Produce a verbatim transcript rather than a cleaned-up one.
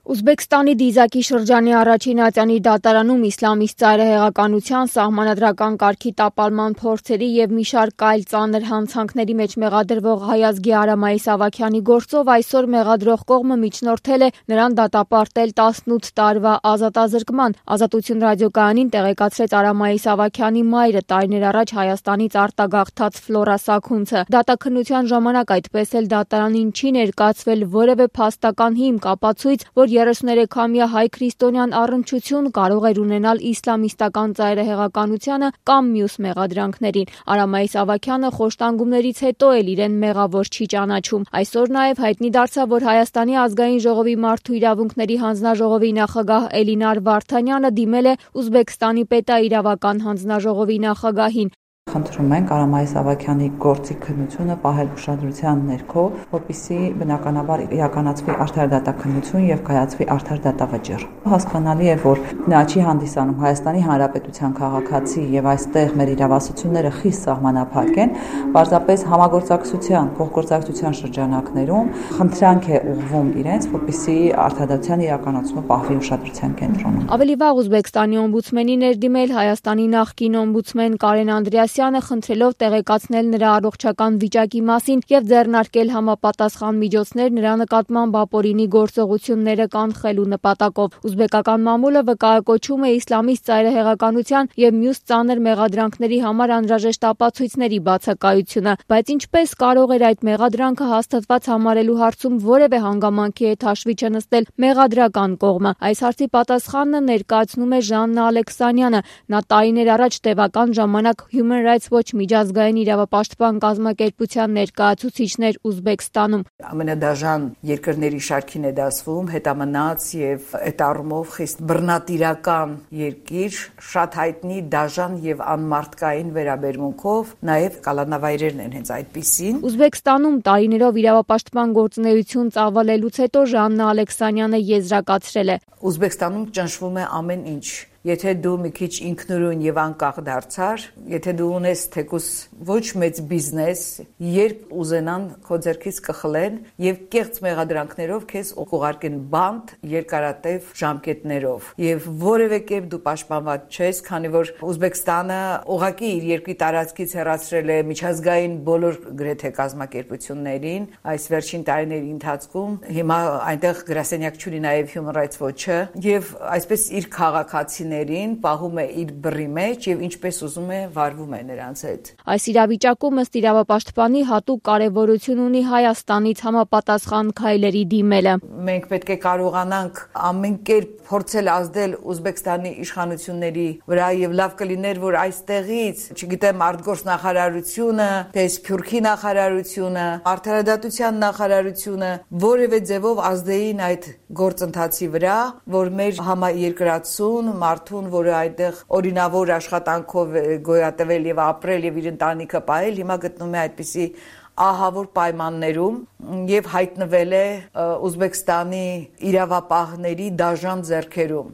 Ուզբեկստանի Դիզակի շրջանի առաջին ատյանի դատարանում իսլամիստ ծայրահեղականության, սահմանադրական կարգի տապալման փորձերի և մի շարք այլ ծանր հանցանքների մեջ մեղադրվող հայազգի Արամ Իսահակյանի գործով այսօր մեղադրող կողմը միջնորդել է նրան դատապարտել տասնութ տարվա ազատազրկման։ Ազատություն ռադիոկայանին տեղեկացրեց Արամ Իսահակյանի մայրը, տարիներ առաջ Հայաստանից արտագաղթած Ֆլորա Սաքունցը։ Դատաքննության ժամանակ այդպես էլ դատարանին չի ներկայացվել որևէ փաստական հիմք, ապացույց, որ երեսուներեքամյա հայ քրիստոնյան առնչություն կարող էր ունենալ իսլամիստական ծայրահեղականությանը կամ մյուս մեղադրանքներին։ Արամ Իսահակյանը խոշտանգումներից հետո էլ իրեն մեղավոր չի ճանաչում։ Այսօր նաև հայտնի դարձավ, որ Հայաստանի ազգային ժողովի մարդու իրավունքների հանձնաժողովի նախագահ Էլինար Վարդանյանը դիմել է Ուզբեկստանի պետաիրավական հանձնաժողովի նախագահին։ Խնդրում ենք Արամ Իսահակյանի գործի քննությունը պահել ուշադրության ներքո, որպեսզի բնականաբար իրականացվի արդար դատաքննություն եւ կայացվի արդար դատավճիռ։ Հասկանալի է, որ նա չի հանդիսանում Հայաստանի Հանրապետության քաղաքացի եւ այստեղ մեր իրավասությունները խիստ սահմանափակ են, պարզապես համագործակցության, փոխգործակցության շրջանակներում խնդրանք է ուղղվում իրենց, որպեսզի արդարադատության իրականացումը պահվի ուշադրության կենտրոնում։ Ավելի վաղ Ուզբեկստանի օմբուդսմենի ներդիմել Հայաստանի նախկին օմբուդսմեն Կարեն Անդրեասյանը խնդրելով տեղեկացնել նրա առողջական վիճակի մասին եւ ձեռնարկել համապատասխան միջոցներ նրա նկատմամբ ապօրինի գործողությունները կանխելու նպատակով։ Ուզբեկական մամուլը վկայակոչում է իսլամիստ ծայրահեղականության եւ մյուս ծանր մեղադրանքների համար անհրաժեշտ ապացույցների բացակայությունը, բայց ինչպես կարող էր այդ մեղադրանքը հաստատված համարելու հարցում որևէ հանգամանքի հետ հաշվի չնստել մեղադրական կողմը։ Այս հարցի պատասխանը ներկայացնում է Ժաննա Ալեքսանյանը։ Նա տարիներ առաջ տևական ժամանակ Human Rights Watch միջազգային իրավապաշտպան կազմակերպության ներկայացուցիչներ Ուզբեկստանում։ Ամենադաժան երկրների շարքին է դասվում, հետամնաց եւ այդ առումով խիստ բռնատիրական երկիր, շատ հայտնի դաժան եւ անմարդկային վերաբերմունքով, նաեւ կալանավայրերն են հենց այդպիսին։ Ուզբեկստանում տարիներով իրավապաշտպան գործունեություն ծավալելուց հետո Ժաննա Ալեքսանյանը եզրակացրել է. Ուզբեկստանում ճնշվում է ամեն ինչ։ Եթե դու մի քիչ ինքնուրույն եւ անկախ դարձար, եթե դու ունես թեկուս ոչ մեծ բիզնես, երբ ուզենան քո ձեռքից կխլեն եւ կեղծ մեղադրանքներով քեզ ուղարկեն բանտ երկարատև ժամկետներով եւ որևէ կերպ դու պաշտպանված չես, քանի որ Ուզբեկստանը ուղղակի իր երկրի տարածքից հեռացրել է միջազգային բոլոր գրեթե կազմակերպություններին այս վերջին տարիների ընթացքում։ Հիմա այնտեղ գրասենյակ չունի նաեւ Human Rights Watch-ը եւ այսպես իր քաղաքացիներին պահում է իր բռի մեջ եւ ինչպես ուզում է վարվում է նրանց հետ։ Այս իրավիճակում ըստ իրավապաշտպանի հատուկ կարևորություն ունի Հայաստանից համապատասխան քայլերի դիմելը։ Մենք պետք է կարողանանք ամեն կերպ փորձել ազդել Ուզբեկստանի իշխանությունների վրա եւ լավ կլիներ, որ այստեղից, չգիտեմ, արտգործ նախարարությունը, թե Սփյուռքի նախարարությունը, արդարադատության նախարարությունը որևէ ձևով ազդեին այդ գործընթացի վրա, որ մեր համաերկրացուն մարդուն, որը այդտեղ օրինավոր աշխատանքով գոյատևել եւ ապրել եւ իր ընտանիքը պահել, հիմա գտնում է այդպիսի ահավոր պայմաններում եւ հայտնվել է Ուզբեկստանի իրավապահների դաժան ձեռքերում։